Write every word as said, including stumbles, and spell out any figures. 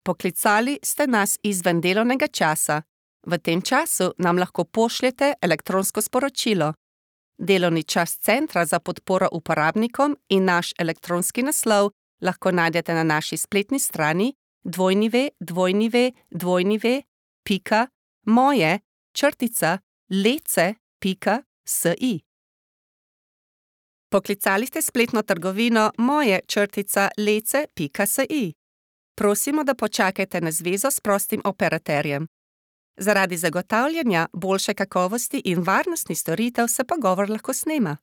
Poklicali ste nas izven delovnega časa. V tem času nam lahko pošljete elektronsko sporočilo. Delovni čas Centra za podporo uporabnikom in naš elektronski naslov lahko najdete na naši spletni strani w w w pika moje črtica lece pika si. Poklicali ste spletno trgovino moje črtica lece pika si. Prosimo, da počakajte na zvezo s prostim operaterjem. Zaradi zagotavljanja boljše kakovosti in varnosti storitev se pogovor lahko snema.